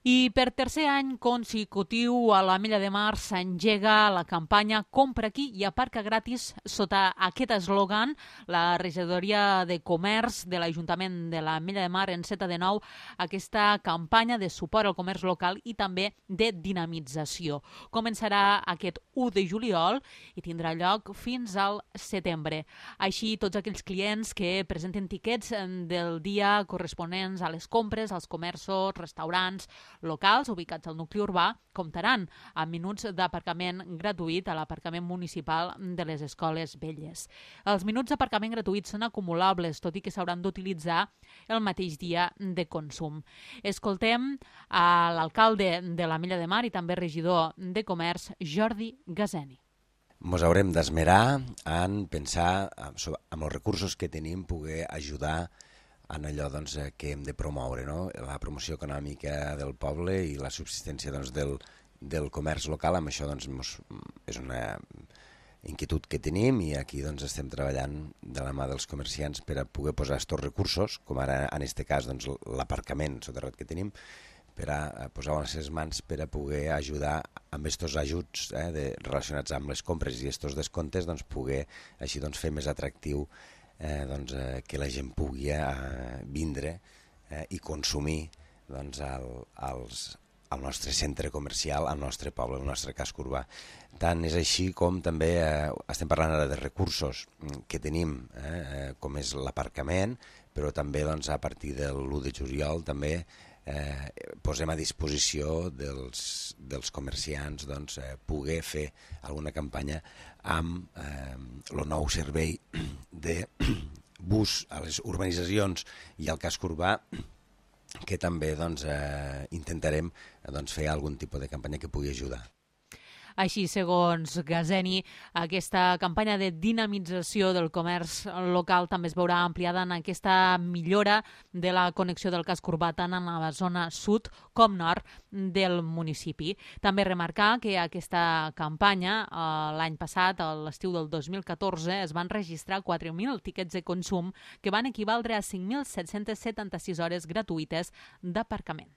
I per tercer any consecutiu a l'Ametlla de Mar s'engega la campanya Compra aquí i aparca gratis. Sota aquest eslògan, la regidoria de Comerç de l'Ajuntament de l'Ametlla de Mar enceta de nou aquesta campanya de suport al comerç local i també de dinamització. Començarà aquest 1 de juliol i tindrà lloc fins al setembre. Així, tots aquells clients que presenten tiquets del dia corresponents a les compres als comerços, restaurants, locals ubicats al nucli urbà comptaran amb minuts d'aparcament gratuït a l'aparcament municipal de les escoles velles. Els minuts d'aparcament gratuïts són acumulables, tot i que s'hauran d'utilitzar el mateix dia de consum. Escoltem a l'alcalde de l'Ametlla de Mar i també regidor de Comerç, Jordi Gazeni. Ens haurem d'esmerar en pensar amb els recursos que tenim poder ajudar en allò que hem de promoure, no? La promoció econòmica del poble i la subsistència del comerç local. Amb això és una inquietud que tenim i aquí estem treballant de la mà dels comerciants per a poder posar aquests recursos, com ara en aquest cas l'aparcament soterrat que tenim, per a posar-ho a les seves mans per a poder ajudar amb aquests ajuts relacionats amb les compres i aquests descomptes, poder així fer més atractiu que la gent pugui vindre i consumir al nostre centre comercial, al nostre poble, al nostre casc urbà. Tant és així com també estem parlant ara de recursos que tenim, com és l'aparcament, però també a partir de l'1 de juliol també posem a disposició dels comerciants poder fer alguna campanya amb el nou servei de bus a les urbanitzacions i al casc urbà, que també intentarem fer algun tipus de campanya que pugui ajudar. Així, segons Gazeni, aquesta campanya de dinamització del comerç local també es veurà ampliada en aquesta millora de la connexió del casc urbà tant en la zona sud com nord del municipi. També remarcar que aquesta campanya, l'any passat, a l'estiu del 2014, es van registrar 4.000 tiquets de consum que van equivaldre a 5.776 hores gratuïtes d'aparcament.